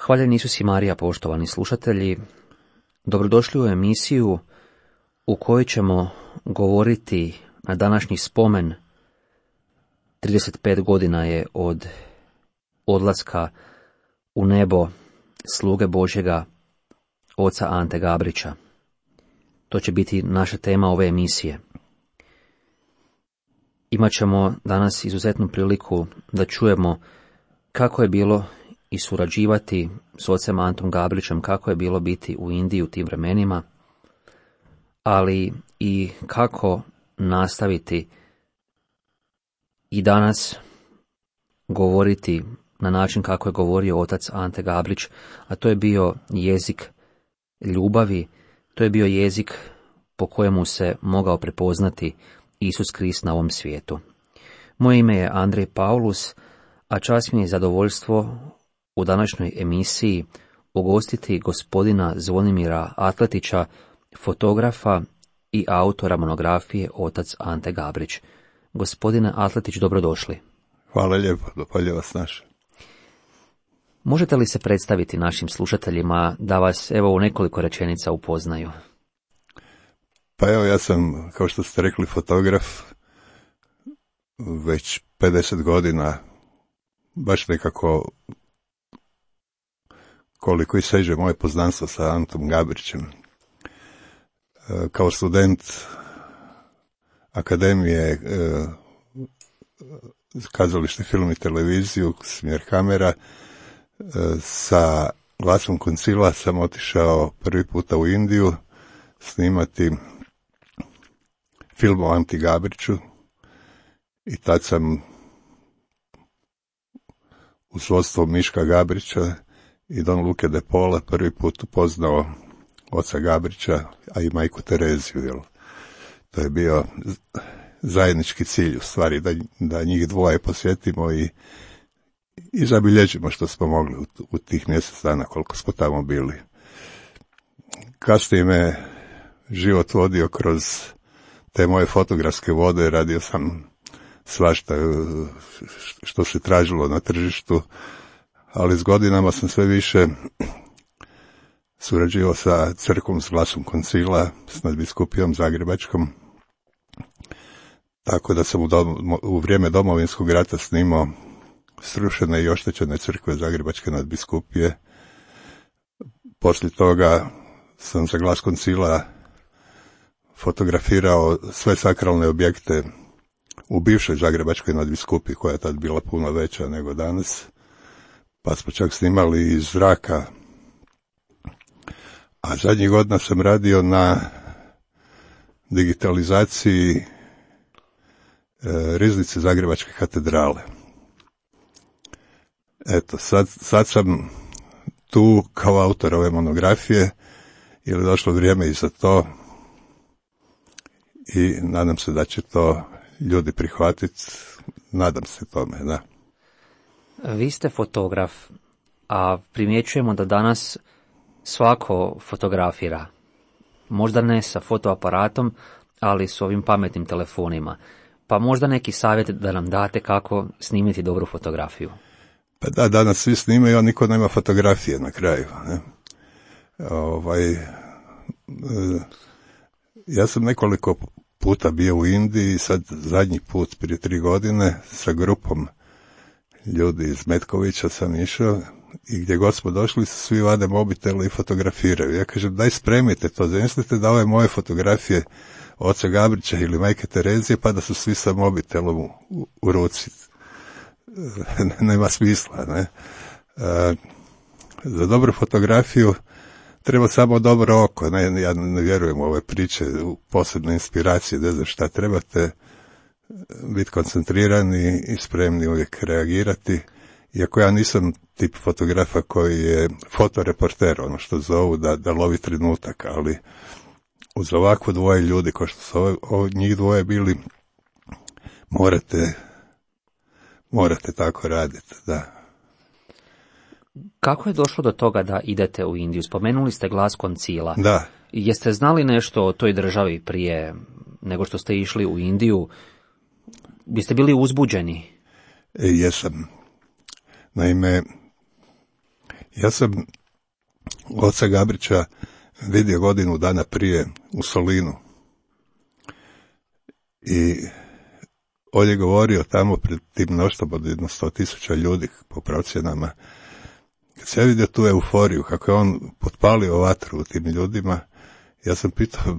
Hvaljen Isus i Marija, poštovani slušatelji, dobrodošli u emisiju u kojoj ćemo govoriti na današnji spomen. 35 godina je od odlaska u nebo sluge Božjega, oca Ante Gabrića. To će biti naša tema ove emisije. Imaćemo danas izuzetnu priliku da čujemo kako je bilo i surađivati s ocem Antom Gabrićem, kako je bilo biti u Indiji u tim vremenima, ali i kako nastaviti i danas govoriti na način kako je govorio otac Ante Gabrić, a to je bio jezik ljubavi, to je bio jezik po kojemu se mogao prepoznati Isus Krist na ovom svijetu. Moje ime je Andrej Paulus, a čast mi je zadovoljstvo u današnjoj emisiji ugostiti gospodina Zvonimira Atletića, fotografa i autora monografije Otac Ante Gabrić. Gospodine Atletić, dobrodošli. Hvala lijepo, dopalje vas naše. Možete li se predstaviti našim slušateljima da vas evo u nekoliko rečenica upoznaju? Pa evo, ja sam, kao što ste rekli, fotograf već 50 godina, baš nekako koliko i seže moje poznanstvo sa Antom Gabrićem. Kao student Akademije kazalište, film i televiziju, smjer kamera, sa glasom koncila sam otišao prvi puta u Indiju snimati film o Anti Gabriću i tad sam u svodstvu Miška Gabrića i Don Luke de Paula prvi put upoznao oca Gabrića, a i majku Tereziju. Jel? To je bio zajednički cilj, u stvari, da njih dvoje posjetimo i zabilježimo što smo mogli u tih mjesec dana koliko smo tamo bili. Kasnije me život vodio kroz te moje fotografske vode, radio sam svašta što se tražilo na tržištu, ali s godinama sam sve više surađivao sa crkvom, s glasom koncila, s nadbiskupijom zagrebačkom, tako da sam u vrijeme Domovinskog rata snimao srušene i oštećene crkve zagrebačke nadbiskupije. Poslije toga sam za glas koncila fotografirao sve sakralne objekte u bivšoj zagrebačkoj nadbiskupiji, koja je tad bila puno veća nego danas, pa smo čak snimali iz zraka. A zadnjih godina sam radio na digitalizaciji riznice Zagrebačke katedrale. Eto, sad sam tu kao autor ove monografije, jer je došlo vrijeme i za to i nadam se da će to ljudi prihvatiti, nadam se tome, da. Vi ste fotograf, a primjećujemo da danas svako fotografira. Možda ne sa fotoaparatom, ali s ovim pametnim telefonima. Pa možda neki savjet da nam date kako snimiti dobru fotografiju. Pa da, danas svi snimaju, a niko nema fotografije na kraju. Ne? Ja sam nekoliko puta bio u Indiji, sad zadnji put prije 3 godine sa grupom ljudi iz Metkovića sam išao i gdje god smo došli svi vade mobitele i fotografiraju. Ja kažem, daj spremite to, zamislite da ove moje fotografije oca Gabrića ili majke Terezije pa da su svi sa mobitelom u ruci. Nema smisla, ne? Za dobru fotografiju treba samo dobro oko, ne, ja ne vjerujem u ove priče, u posebne inspiracije, ne znam šta, trebate biti koncentrirani i spremni uvijek reagirati, iako ja nisam tip fotografa koji je fotoreporter, ono što zovu da lovi trenutak, ali uz ovako dvoje ljudi, kao što su njih dvoje bili, morate tako raditi, da. Kako je došlo do toga da idete u Indiju? Spomenuli ste glas koncila. Da. Jeste znali nešto o toj državi prije nego što ste išli u Indiju? Biste bili uzbuđeni? Jesam. Naime, Ja sam oca Gabrića vidio godinu dana prije u Solinu. I on je govorio tamo pred tim mnoštvom od 100,000 ljudi po procjenama. Kad se ja vidio tu euforiju, kako je on potpalio vatru u tim ljudima, ja sam pitao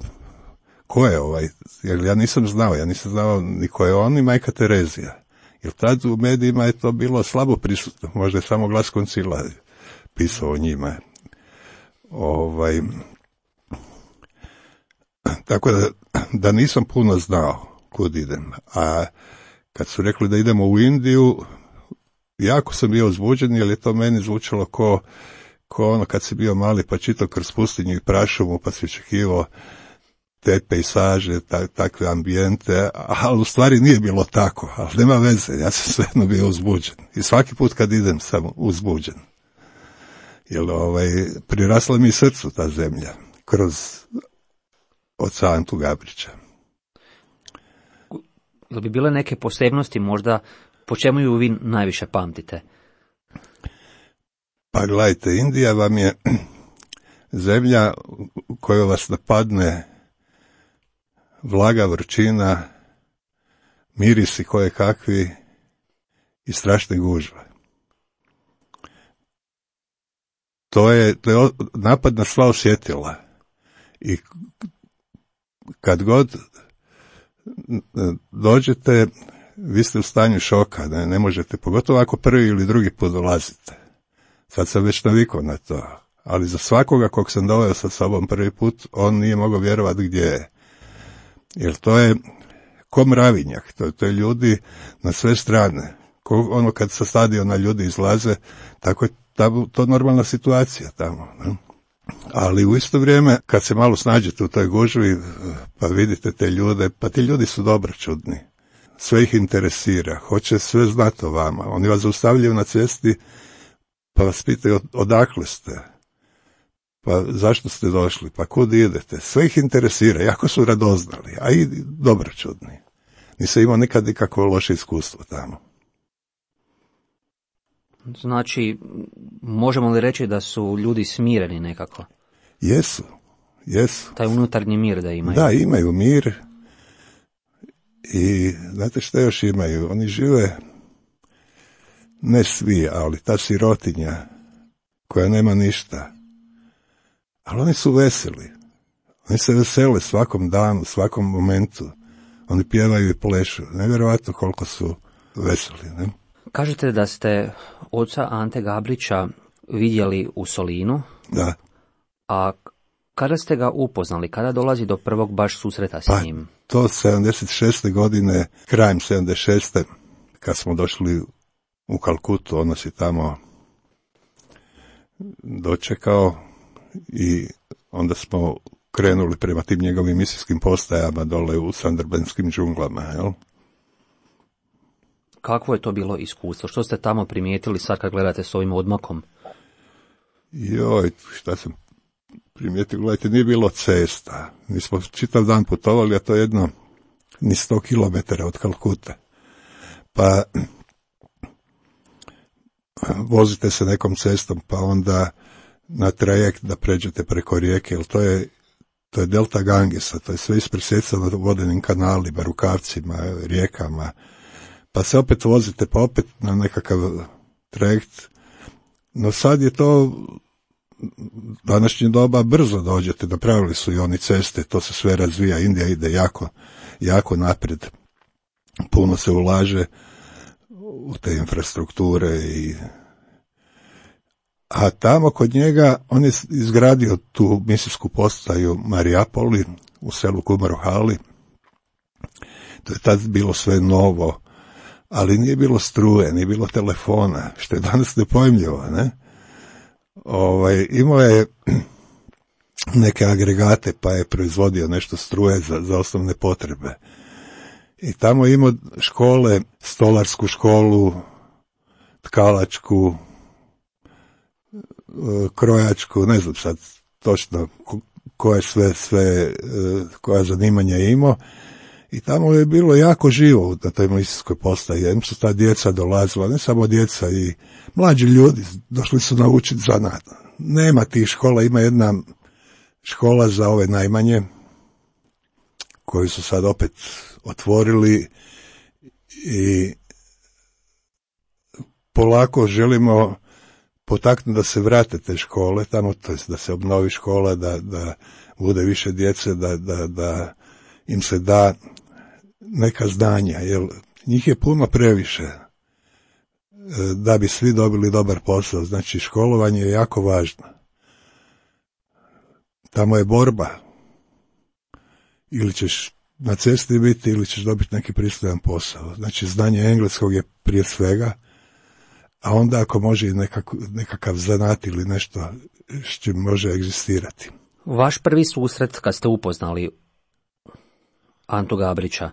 ko je ovaj, jer ja nisam znao ni ko je on ni majka Terezija. Jer tad u medijima je to bilo slabo prisutno, možda je samo Glas Koncila pisao o njima. Tako da nisam puno znao kud idem. A kad su rekli da idemo u Indiju, jako sam bio uzbuđen, jer je to meni zvučalo ko ono kad si bio mali pa čitao kroz pustinju i prašumu, pa si očekivao te pejsaže, takve ambijente, ali u stvari nije bilo tako, ali nema veze, ja sam svejedno bio uzbuđen. I svaki put kad idem sam uzbuđen. Jer prirasla mi srcu ta zemlja, kroz oca Antu Gabrića. Ili bi bile neke posebnosti možda, po čemu ju vi najviše pamtite? Pa gledajte, Indija vam je zemlja u kojoj vas napadne vlaga, vrućina, mirisi koje kakvi i strašne gužve. To je napad na sva osjetila. I kad god dođete, vi ste u stanju šoka, ne možete, pogotovo ako prvi ili drugi put dolazite. Sad sam već navikao na to, ali za svakoga kog sam doveo sa sobom prvi put, on nije mogao vjerovati gdje je. Jer to je ko mravinjak, to je ljudi na sve strane. Ono kad sa stadiona ljudi izlaze, tako je to normalna situacija tamo. Ne? Ali u isto vrijeme, kad se malo snađete u toj gužvi, pa vidite te ljude, pa ti ljudi su dobročudni. Sve ih interesira, hoće sve znati o vama. Oni vas zaustavljaju na cesti, pa vas pitaju odakle ste, pa zašto ste došli, pa kud idete. Sve ih interesira, jako su radoznali, a i dobročudni. Nisam imao nikad nikakvo loše iskustvo tamo. Znači, možemo li reći da su ljudi smireni nekako? Jesu. Taj unutarnji mir da imaju. Da, imaju mir. I znate što još imaju? Oni žive, ne svi, ali ta sirotinja koja nema ništa. Ali oni su veseli. Oni se vesele svakom danu, svakom momentu. Oni pjevaju i plešu. Nevjerojatno koliko su veseli, ne? Kažete da ste oca Ante Gabrića vidjeli u Solinu. Da. A kada ste ga upoznali? Kada dolazi do prvog baš susreta s njim? To 76. godine, krajem 76. kad smo došli u Kalkutu, on nas je tamo dočekao i onda smo krenuli prema tim njegovim misijskim postajama dole u Sandarbenskim džunglama, jel? Kakvo je to bilo iskustvo? Što ste tamo primijetili sad kad gledate s ovim odmakom? Joj, šta sam primijetio, gledajte, nije bilo cesta. Mi smo čitav dan putovali, a to je jedno ni 100 km od Kalkute. Pa vozite se nekom cestom, pa onda na trajekt da pređete preko rijeke, jer to je delta Gangesa, to je sve ispresjecano vodenim kanalima, rukavcima, rijekama. Pa se opet vozite, pa opet na nekakav trajekt. No sad je to današnje doba, brzo dođete, napravili su i oni ceste, to se sve razvija, Indija ide jako naprijed. Puno se ulaže u te infrastrukture a tamo kod njega on je izgradio tu misijsku postaju Mariapoli u selu Kumarohali. To je tad bilo sve novo, ali nije bilo struje, nije bilo telefona, što je danas nepojmljivo, ne? Imao je neke agregate, pa je proizvodio nešto struje za osnovne potrebe. I tamo je imao škole, stolarsku školu, tkalačku, krojačku, ne znam sad točno koje sve koja zanimanja je imao. I tamo je bilo jako živo na toj milicijskoj postaji. Jednom su ta djeca dolazila, ne samo djeca, i mlađi ljudi došli su naučiti zanat. Nema tih škola, ima jedna škola za ove najmanje, koju su sad opet otvorili i polako želimo potaknuti da se vrate te škole tamo, to jest da se obnovi škola, da bude više djece, da im se da neka znanja, jer njih je puno previše da bi svi dobili dobar posao. Znači, školovanje je jako važno. Tamo je borba. Ili ćeš na cesti biti, ili ćeš dobiti neki pristojan posao. Znači, znanje engleskog je prije svega, a onda ako može i nekakav zanat ili nešto s čim može egzistirati. Vaš prvi susret kad ste upoznali Antu Gabrića,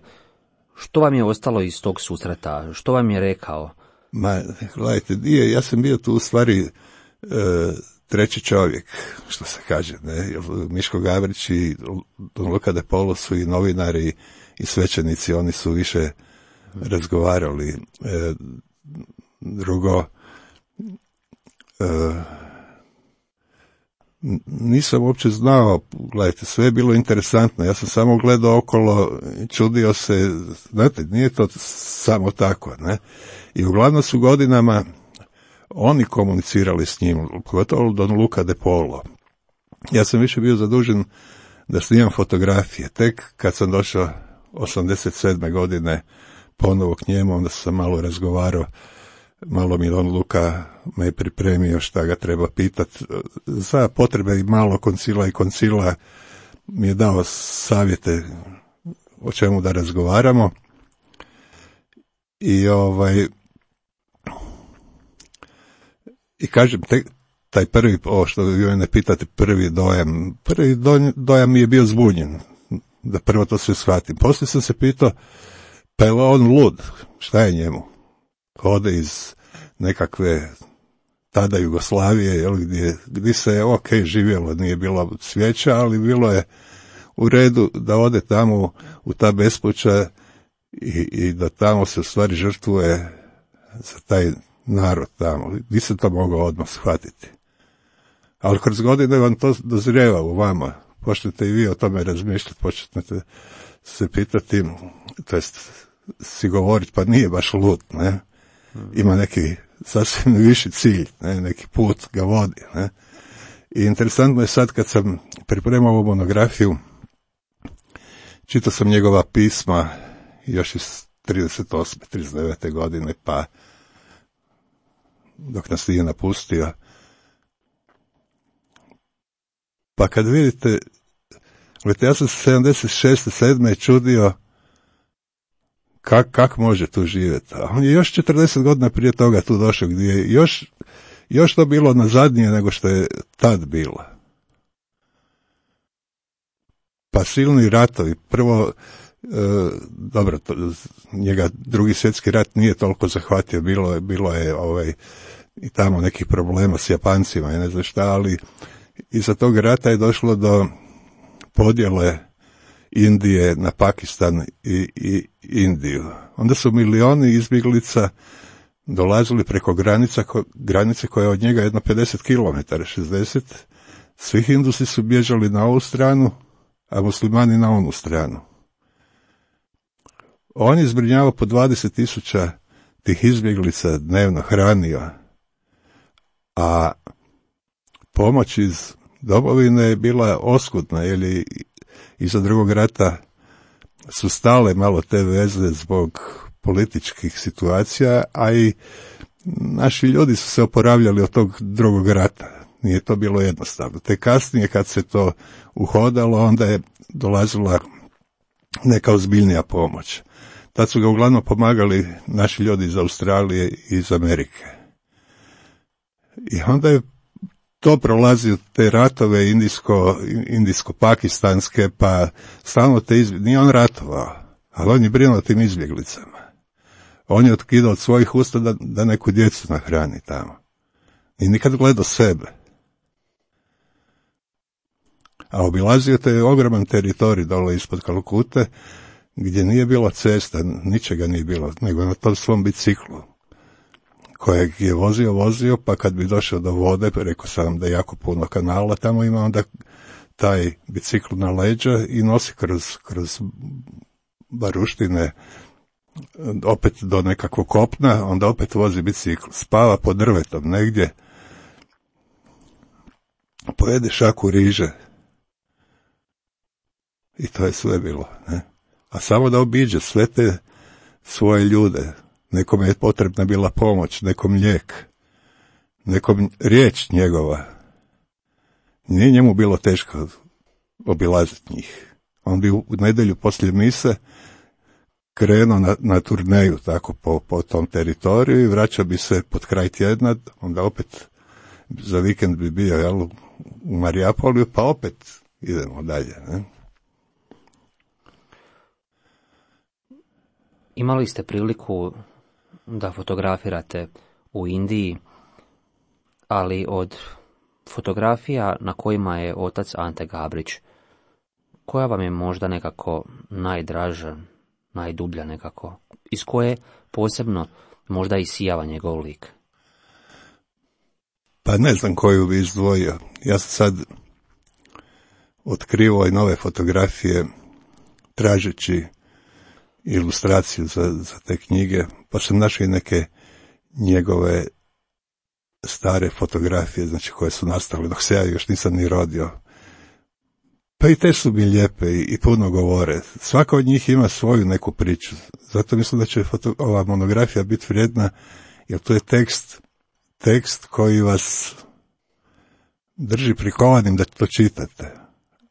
što vam je ostalo iz tog susreta? Što vam je rekao? Ma, gledajte, ja sam bio tu u stvari treći čovjek, što se kaže, ne? Miško Gabrić i Don Luca de Polo su i novinari i svećenici, oni su više razgovarali. Drugo, nisam uopće znao, gledajte, sve je bilo interesantno, ja sam samo gledao okolo, čudio se, znate, nije to samo tako, ne? I uglavnom su godinama oni komunicirali s njim, pogotovo Don Luca de Polo. Ja sam više bio zadužen da snimam fotografije. Tek kad sam došao 87. godine ponovo k njemu, onda sam malo razgovarao, malo mi Don Luca me je pripremio šta ga treba pitati. Za potrebe i malo koncila mi je dao savjete o čemu da razgovaramo. I kažem, taj prvi, što vi mene pitate, prvi dojam mi je bio zbunjen, da prvo to sve shvatim. Poslije sam se pitao, pa je on lud, šta je njemu? Ode iz nekakve tada Jugoslavije, gdje se je živjelo, nije bilo svijeća, ali bilo je u redu da ode tamo u ta bespuća i da tamo se u stvari žrtvuje za taj narod tamo. Nisam to mogao odmah shvatiti. Ali kroz godine vam to dozrijeva u vama. Počnete i vi o tome razmišljati, počnete se pitati, to jest si govoriti, pa nije baš lud, ne? Ima neki sasvim viši cilj, ne? Neki put ga vodi, ne? I interesantno je sad kad sam pripremao ovu monografiju, čitao sam njegova pisma još iz 38. 39. godine, pa dok nas nije napustio. Pa kad vidite, ja sam 76. 7. čudio kako može tu živjeti. A on je još 40 godina prije toga tu došao, gdje je još to bilo nazadnije nego što je tad bilo. Pa silni ratovi. Prvo, dobro, njega Drugi svjetski rat nije toliko zahvatio, bilo je i tamo nekih problema s Japancima i ne znam šta, ali iza tog rata je došlo do podjele Indije na Pakistan i Indiju. Onda su milioni izbjeglica dolazili preko granice koja je od njega jedno 50 km, 60. Svi Hindusi su bježali na ovu stranu, a muslimani na onu stranu. On je zbrinjavao po 20.000 tih izbjeglica dnevno, hranio, a pomoć iz domovine je bila oskudna, jer iza Drugog rata su stale malo te veze zbog političkih situacija, a i naši ljudi su se oporavljali od tog Drugog rata. Nije to bilo jednostavno. Te kasnije kad se to uhodalo, onda je dolazila neka ozbiljnija pomoć. Tad su ga uglavnom pomagali naši ljudi iz Australije i iz Amerike. I onda je to prolazi te ratove indijsko-pakistanske, pa stalno nije on ratovao, ali on je brinuo o tim izbjeglicama. On je otkidao od svojih usta da neku djecu nahrani tamo. I nikad gledao sebe. A obilazio te ogroman teritorij dole ispod Kalkute, gdje nije bilo cesta, ničega nije bilo, nego na tom svom biciklu, kojeg je vozio, pa kad bi došao do vode, rekao sam da je jako puno kanala, tamo ima onda taj bicikl na leđa i nosi kroz baruštine, opet do nekakvog kopna, onda opet vozi bicikl, spava pod drvetom negdje, pojede šaku riže i to je sve bilo, ne? A samo da obiđe sve te svoje ljude, nekome je potrebna bila pomoć, nekom lijek, nekom riječ njegova, nije njemu bilo teško obilaziti njih. On bi u nedjelju poslije mise krenuo na turneju tako po tom teritoriju i vraća bi se pod kraj tjedna, onda opet za vikend bi bio u Marijapoliju, pa opet idemo dalje. Ne? Imali ste priliku da fotografirate u Indiji, ali od fotografija na kojima je otac Ante Gabrić, koja vam je možda nekako najdraža, najdublja nekako, iz koje posebno možda isijava njegov lik? Pa ne znam koju bi izdvojio. Ja sam sad otkrivao i nove fotografije tražeći ilustraciju za te knjige, pa sam našao i neke njegove stare fotografije, znači koje su nastale dok se ja još nisam ni rodio. Pa i te su mi lijepe i puno govore. Svaka od njih ima svoju neku priču. Zato mislim da će ova monografija biti vrijedna, jer to je tekst koji vas drži prikovanim da to čitate.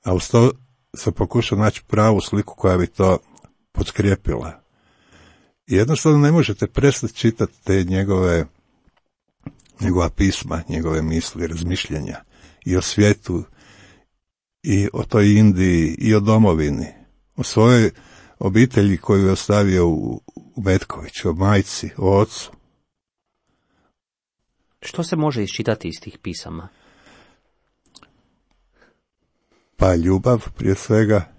A uz to sam pokušao naći pravu sliku koja bi to potkrijepila. I jednostavno ne možete prestati čitati te njegova pisma, njegove misli, razmišljenja i o svijetu, i o toj Indiji, i o domovini, o svojoj obitelji koju je ostavio u Metkoviću, o majci, o ocu. Što se može iščitati iz tih pisama? Pa ljubav prije svega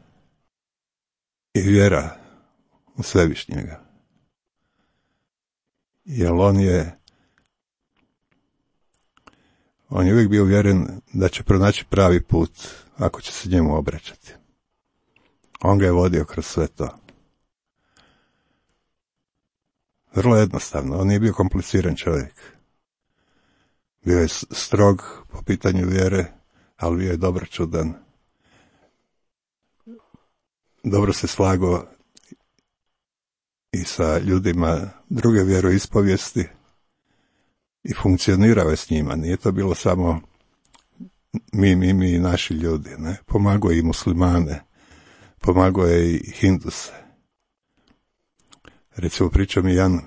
i vjera u Svevišnjega. Jer on je uvijek bio uvjeren da će pronaći pravi put ako će se njemu obraćati. On ga je vodio kroz sve to. Vrlo jednostavno, on nije bio kompliciran čovjek. Bio je strog po pitanju vjere, ali bio je dobročudan. Dobro se slagao i sa ljudima druge vjeroispovijesti i funkcionirao je s njima. Nije to bilo samo mi i naši ljudi. Ne? Pomagao je i muslimane, pomagao je i hinduse. Recimo priča mi jedan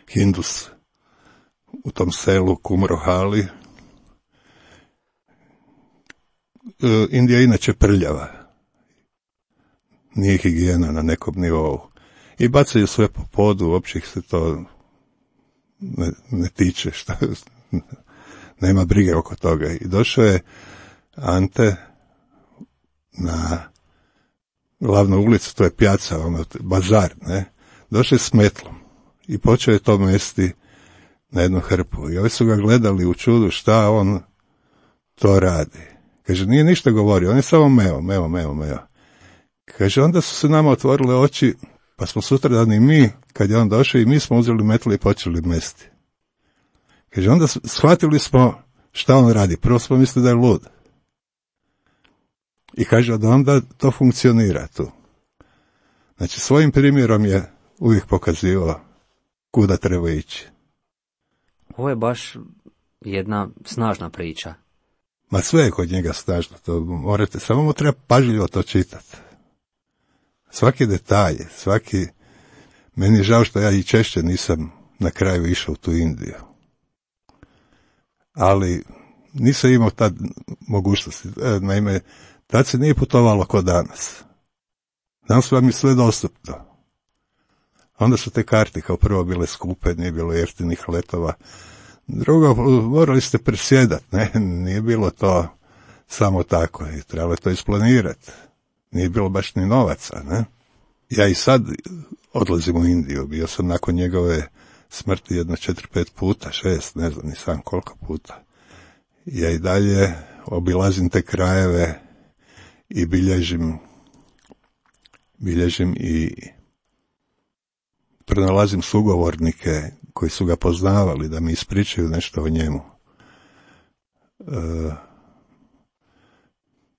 hindus u tom selu Kumrohali. Indija je inače prljava. Nije higijena na nekom nivou. I bacaju sve po podu, uopće ih se to ne tiče, nema brige oko toga. I došao je Ante na glavnu ulicu, to je pijaca, bazar, ne? Došao je s metlom i počeo je to mesti na jednu hrpu. I ovi su ga gledali u čudu šta on to radi. Kaže, nije ništa govorio, on je samo meo. Kaže, onda su se nama otvorile oči, pa smo sutradan i mi, kad je on došao, i mi smo uzeli metlu i počeli mesti. Kaže, onda shvatili smo šta on radi. Prvo smo mislili da je lud. I kaže, da onda to funkcionira tu. Znači, svojim primjerom je uvijek pokazivao kuda treba ići. Ovo je baš jedna snažna priča. Ma sve je kod njega snažno, to morate, samo mu treba pažljivo to čitati. Svaki detalj, meni je žao što ja i češće nisam na kraju išao u tu Indiju. Ali nisam imao tad mogućnosti, naime, tad se nije putovalo kao danas. Danas vam je sve dostupno. Onda su te karte kao prvo bile skupe, nije bilo jeftinih letova. Drugo, morali ste presjedati, ne? Nije bilo to samo tako i trebalo je to isplanirati. Nije bilo baš ni novaca, ne? Ja i sad odlazim u Indiju, bio sam nakon njegove smrti jedno 4-5 puta, 6, ne znam ni sam koliko puta. Ja i dalje obilazim te krajeve i bilježim i pronalazim sugovornike koji su ga poznavali da mi ispričaju nešto o njemu.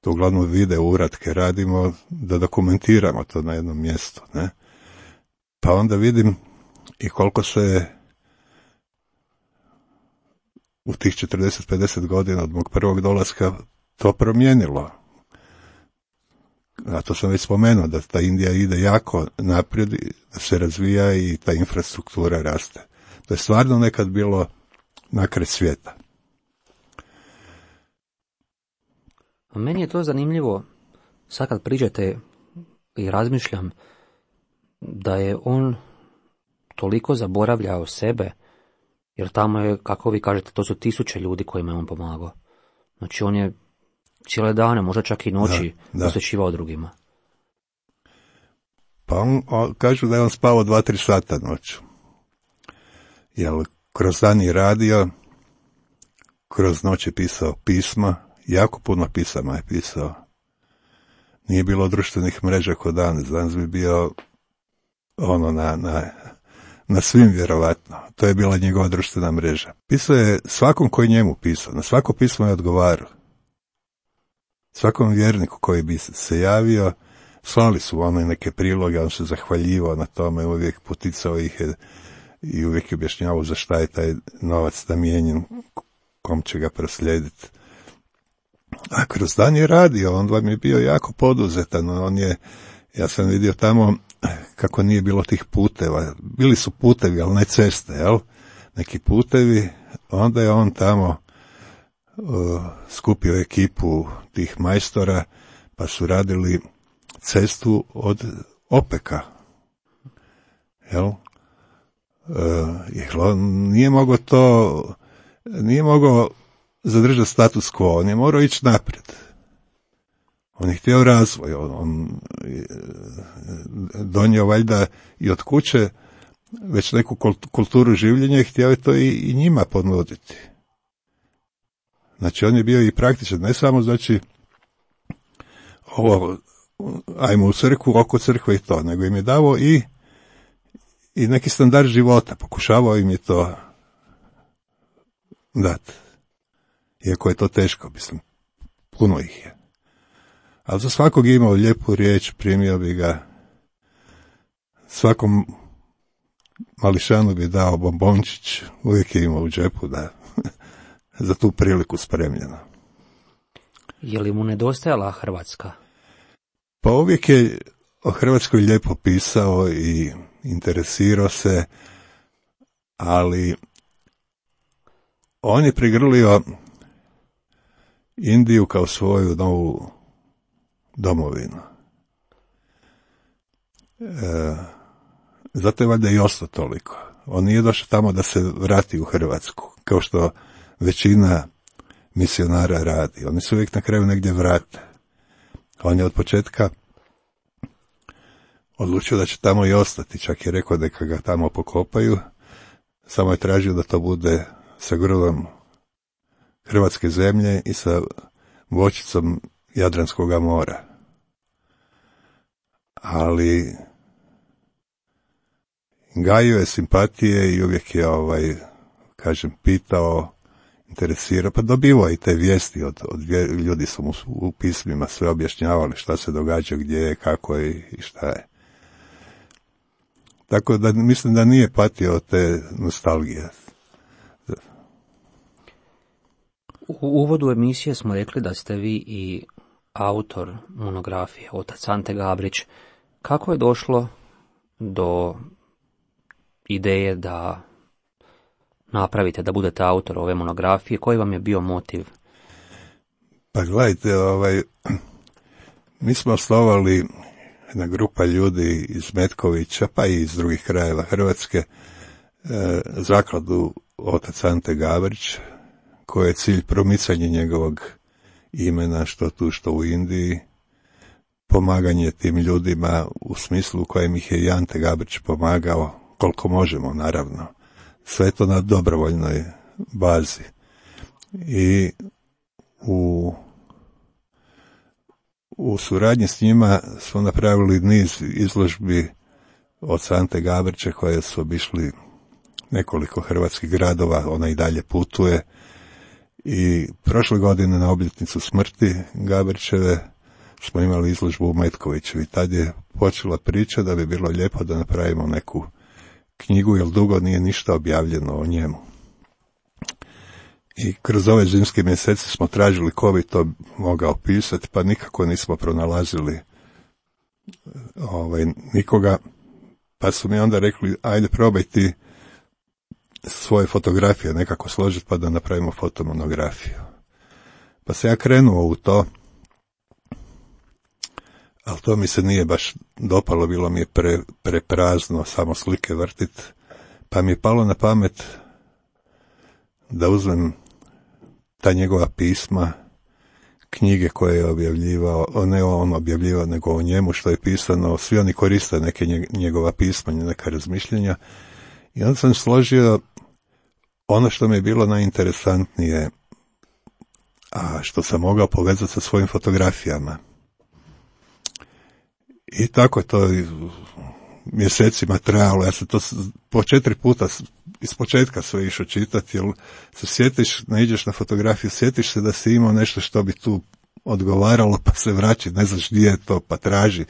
To uglavnom video uratke radimo da dokumentiramo to na jednom mjestu, ne? Pa onda vidim i koliko se u tih 40-50 godina od mog prvog dolaska to promijenilo. A to sam već spomenuo, da ta Indija ide jako naprijed, da se razvija i ta infrastruktura raste. To je stvarno nekad bilo nakraj svijeta. A meni je to zanimljivo, sad kad priđete i razmišljam, da je on toliko zaboravljao sebe, jer tamo je, kako vi kažete, to su 1000 ljudi kojima je on pomagao. Znači on je cijele dane, možda čak i noći, posvećivao drugima. Pa kažu da je on spavao 2-3 sata noću. Jer kroz dan je radio, kroz noć je pisao pisma, jako puno pisama je pisao. Nije bilo društvenih mreža kod danas bi bio na svim vjerovatno. To je bila njegova društvena mreža. Pisao je svakom koji njemu pisao, na svako pismo je odgovarao. Svakom vjerniku koji bi se javio, slali su neke priloge, on se zahvaljivao na tome, uvijek poticao ih i uvijek je objašnjavao za šta je taj novac namijenjen, kom će ga proslijediti. A kroz dan je radio, on vam je bio jako poduzetan, ja sam vidio tamo kako nije bilo tih puteva, bili su putevi, ali ne ceste, jel? Neki putevi, onda je on tamo skupio ekipu tih majstora, pa su radili cestu od Opeka, jel? Jer on nije mogao zadržati status quo, on je morao ići naprijed. On je htio razvoj, on donio valjda i od kuće već neku kulturu življenja i htio je to i njima ponuditi. Znači on je bio i praktičan, ne samo znači ajmo u crkvu, oko crkve i to, nego im je davao i neki standard života, pokušavao im je to dati. Iako je to teško, mislim, puno ih je. Ali za svakog je imao lijepu riječ, primio bi ga, svakom mališanu bi dao bombončić, uvijek je imao u džepu da za tu priliku spremljeno. Je li mu nedostajala Hrvatska? Pa uvijek je o Hrvatskoj lijepo pisao i interesirao se, ali on je prigrlio Indiju kao svoju novu domovinu. Zato je valjda i ostao toliko. On nije došao tamo da se vrati u Hrvatsku, kao što većina misionara radi. Oni se uvijek na kraju negdje vrate. On je od početka odlučio da će tamo i ostati, čak je rekao da ga tamo pokopaju, samo je tražio da to bude sa grlom hrvatske zemlje i sa voćicom Jadranskog mora. Ali gajio je simpatije i uvijek je, pitao, interesirao, pa dobivao i te vijesti od ljudi su mu u pismima sve objašnjavali šta se događa, gdje je, kako je i šta je. Tako da mislim da nije patio od te nostalgije. U uvodu emisije smo rekli da ste vi i autor monografije, otac Ante Gabrić. Kako je došlo do ideje da napravite, da budete autor ove monografije? Koji vam je bio motiv? Pa gledajte, mi smo osnovali jedna grupa ljudi iz Metkovića, pa i iz drugih krajeva Hrvatske, zakladu otac Ante Gabrić, koji je cilj promicanje njegovog imena što tu, što u Indiji. pomaganje tim ljudima u smislu u kojem ih je i Ante Gabrić pomagao, koliko možemo, naravno. Sve to na dobrovoljnoj bazi. I u suradnji s njima smo napravili niz izložbi od Ante Gabrića koje su obišli nekoliko hrvatskih gradova, ona i dalje putuje. I prošle godine na obljetnicu smrti Gabrićeve smo imali izložbu u Metkoviću i tad je počela priča da bi bilo lijepo da napravimo neku knjigu, jer dugo nije ništa objavljeno o njemu. I kroz ove zimske mjesece smo tražili ko bi to mogao pisati, pa nikako nismo pronalazili nikoga. Pa su mi onda rekli, ajde probaj ti svoje fotografije nekako složiti pa da napravimo fotomonografiju. Pa se ja krenuo u to, ali to mi se nije baš dopalo, bilo mi je preprazno samo slike vrtit, pa mi je palo na pamet da uzmem ta njegova pisma, knjige koje je objavljivao, ne on objavljivao, nego o njemu što je pisano, svi oni koriste neke njegova pisma, neka razmišljenja, i onda sam složio ono što mi je bilo najinteresantnije, a što sam mogao povezati sa svojim fotografijama. I tako je to mjesecima trajalo. Ja sam to po 4 puta iz početka sve išao čitati, jer se sjetiš, naiđeš na fotografiju, sjetiš se da si imao nešto što bi tu odgovaralo, pa se vraći, ne znaš gdje je to, pa traži.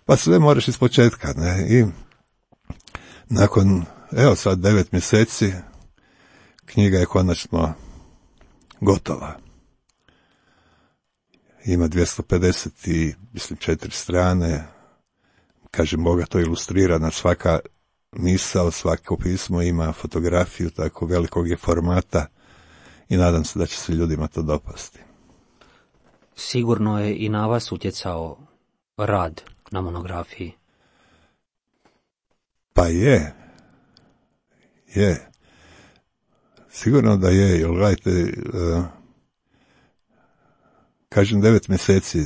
Pa sve moraš iz početka, ne? I nakon, sad 9 mjeseci, knjiga je konačno gotova. Ima 254 strane, kažem, bogato ilustrirana, svaka misao, svako pismo ima fotografiju, tako velikog je formata i nadam se da će se ljudima to dopasti. Sigurno je i na vas utjecao rad na monografiji. Pa je. Sigurno da je, jer gledajte, kažem 9 mjeseci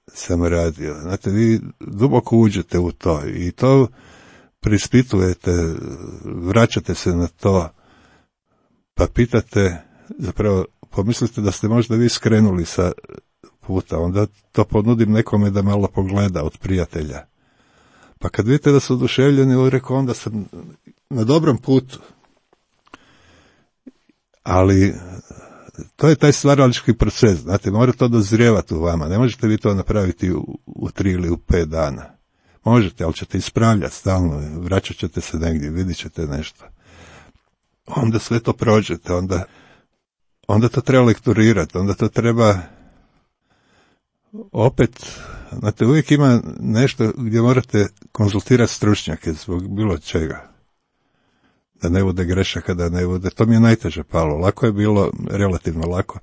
sam radio. Znate, vi duboko uđete u to i to prispitujete, vraćate se na to, pa pitate, zapravo pomislite da ste možda vi skrenuli sa puta, onda to ponudim nekome da malo pogleda od prijatelja. Pa kad vidite da su oduševljeni, rekao, onda sam na dobrom putu. Ali to je taj stvaralački proces, znate, mora to dozrijevati u vama, ne možete vi to napraviti u 3 ili u 5 dana. Možete, ali ćete ispravljati stalno, vraćat ćete se negdje, vidit ćete nešto. Onda sve to prođete, onda to treba lekturirati, onda to treba opet, znate, uvijek ima nešto gdje morate konzultirati stručnjake zbog bilo čega. Da ne bude grešaka, da ne bude, to mi je najteže palo. Lako je bilo, relativno lako,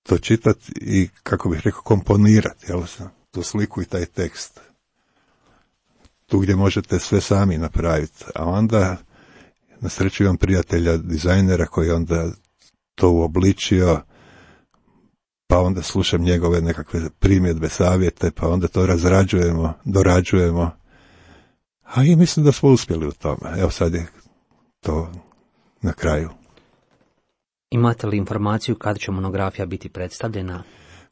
to čitati i, kako bih rekao, komponirati, tu sliku i taj tekst. Tu gdje možete sve sami napraviti. A onda, na sreću imam prijatelja, dizajnera, koji onda to uobličio, pa onda slušam njegove nekakve primjedbe, savjete, pa onda to razrađujemo, dorađujemo. A i mislim da smo uspjeli u tome. Evo sad je to na kraju. Imate li informaciju kada će monografija biti predstavljena?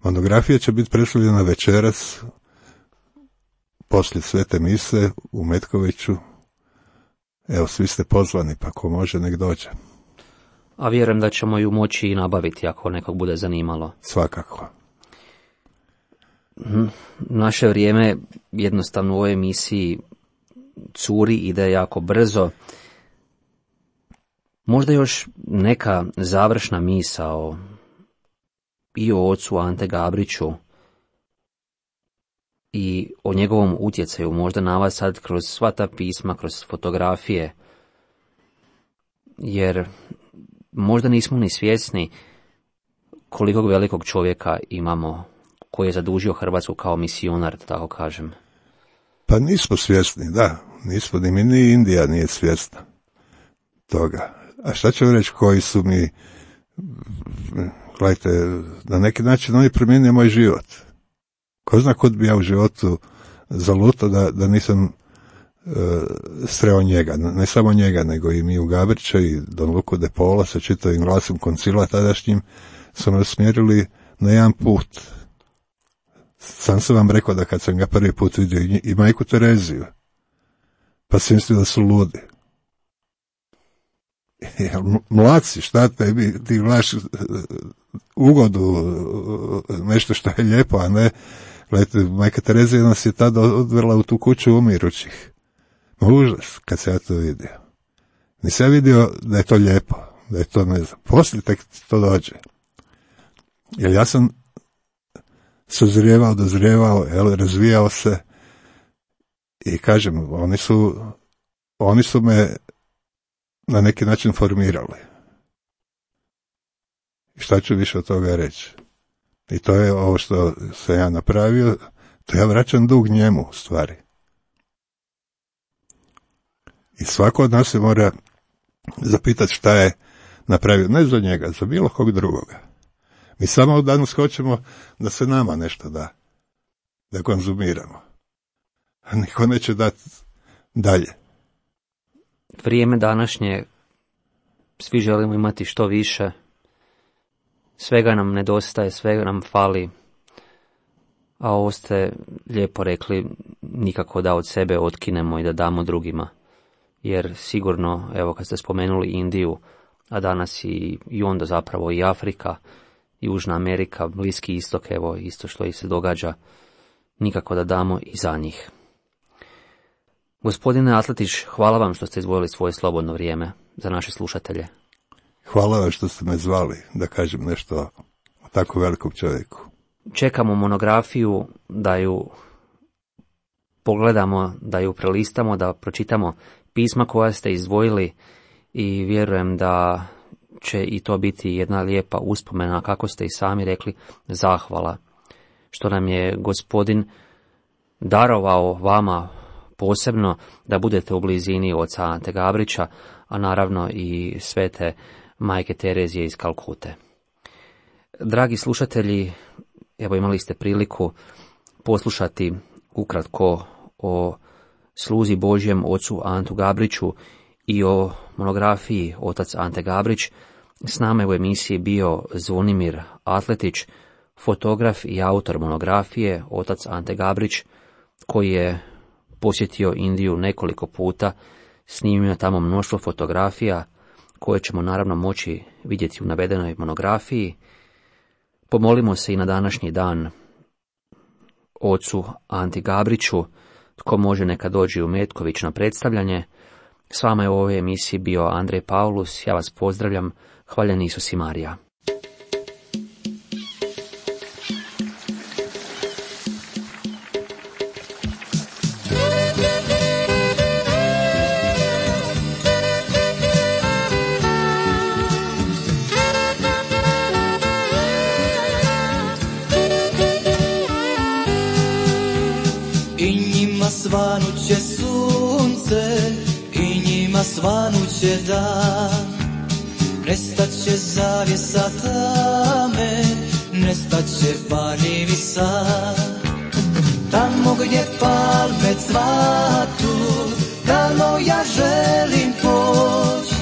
Monografija će biti predstavljena večeras, poslije Svete mise u Metkoviću. Evo, svi ste pozvani, pa ko može nek dođe. A vjerujem da ćemo ju moći i nabaviti ako nekog bude zanimalo. Svakako. Naše vrijeme jednostavno u ovoj emisiji curi, ide jako brzo. Možda još neka završna misao i o ocu Ante Gabriću i o njegovom utjecaju, možda na vas sad kroz sva ta pisma, kroz fotografije, jer možda nismo ni svjesni kolikog velikog čovjeka imamo koji je zadužio Hrvatsku kao misionar, da tako kažem. Pa nismo svjesni, da, nismo, ni mi, ni Indija nije svjesna toga. A šta ću reći koji su mi, gledajte, na neki način oni promijenio moj život. Ko zna kud bi ja u životu zalutao da nisam sreo njega, ne samo njega, nego i Miju Gabrića i Don Luku de Paula sa čitavim glasom koncila tadašnjim, su me usmjerili na jedan put. Sam sam vam rekao da kad sam ga prvi put vidio i majku Tereziju, pa sam mislio da su ludi. Mlaci, šta tebi, ti gledaš ugodu, nešto što je lijepo, a ne, gledajte, majka Terezija nas je tada odvela u tu kuću umirućih. Užas, kad se ja to vidio. Nisam ja vidio da je to lijepo, da je to, ne znam, poslije tek to dođe. Jer ja sam sazrijevao, dozrijevao, razvijao se i kažem, oni su me na neki način formirali. I šta ću više od toga reći? I to je ovo što sam ja napravio, to ja vraćam dug njemu, u stvari. I svako od nas se mora zapitati šta je napravio, ne za njega, za bilo kog drugoga. Mi samo danas hoćemo da se nama nešto da konzumiramo. A niko neće dati dalje. Vrijeme današnje, svi želimo imati što više, svega nam nedostaje, svega nam fali, a ovo ste lijepo rekli, nikako da od sebe otkinemo i da damo drugima. Jer sigurno, evo kad ste spomenuli Indiju, a danas i onda zapravo i Afrika, i Južna Amerika, Bliski istok, evo isto što i se događa, nikako da damo i za njih. Gospodine Atletić, hvala vam što ste izdvojili svoje slobodno vrijeme za naše slušatelje. Hvala vam što ste me zvali da kažem nešto o tako velikom čovjeku. Čekamo monografiju, da ju pogledamo, da ju prelistamo, da pročitamo pisma koja ste izdvojili i vjerujem da će i to biti jedna lijepa uspomena, kako ste i sami rekli, zahvala, što nam je Gospodin darovao vama posebno da budete u blizini oca Ante Gabrića, a naravno i svete majke Terezije iz Kalkute. Dragi slušatelji, evo imali ste priliku poslušati ukratko o sluzi Božjem ocu Antu Gabriću i o monografiji Otac Ante Gabrić. S nama je u emisiji bio Zvonimir Atletić, fotograf i autor monografije Otac Ante Gabrić, koji je posjetio Indiju nekoliko puta, snimio tamo mnoštvo fotografija koje ćemo naravno moći vidjeti u navedenoj monografiji. Pomolimo se i na današnji dan ocu Anti Gabriću, tko može neka dođe u Metković na predstavljanje. S vama je u ovoj emisiji bio Andrej Paulus, ja vas pozdravljam, hvaljen Isus i Marija. Svanuće sunce i njima svanuće dan, nestaće zavjesa tame, nestaće panjevi sad. Tamo gdje palme cvatu, tamo ja želim poć,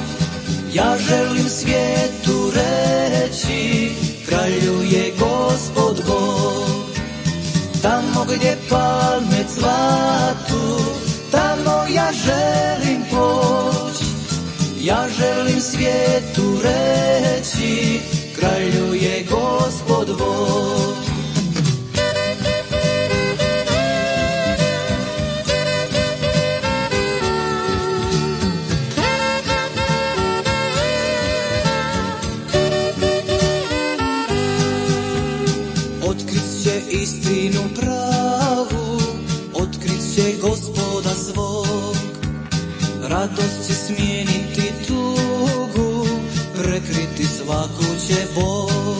ja želim svijetu reći, kralju je Gospod Bog. Tamo gdje palme cvatu, tamo ja želim poć, ja želim svijetu reći, kralju je Gospod Bog. Otkrit će istinu pravu, otkrit će Gospoda svog, radost će smijeniti tugu, prekriti svaku će bol.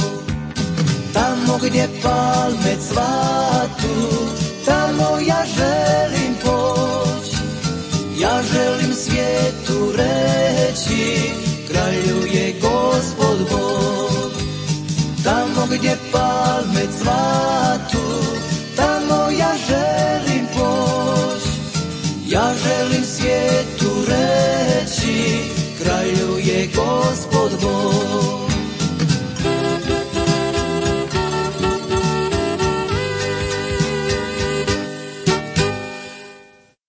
Tamo gdje palme cvatu, tamo ja želim poć, ja želim svijetu reći, kralju je Gospod Bog. Tamo gdje palme cvatu, tamo je Gospod Bog.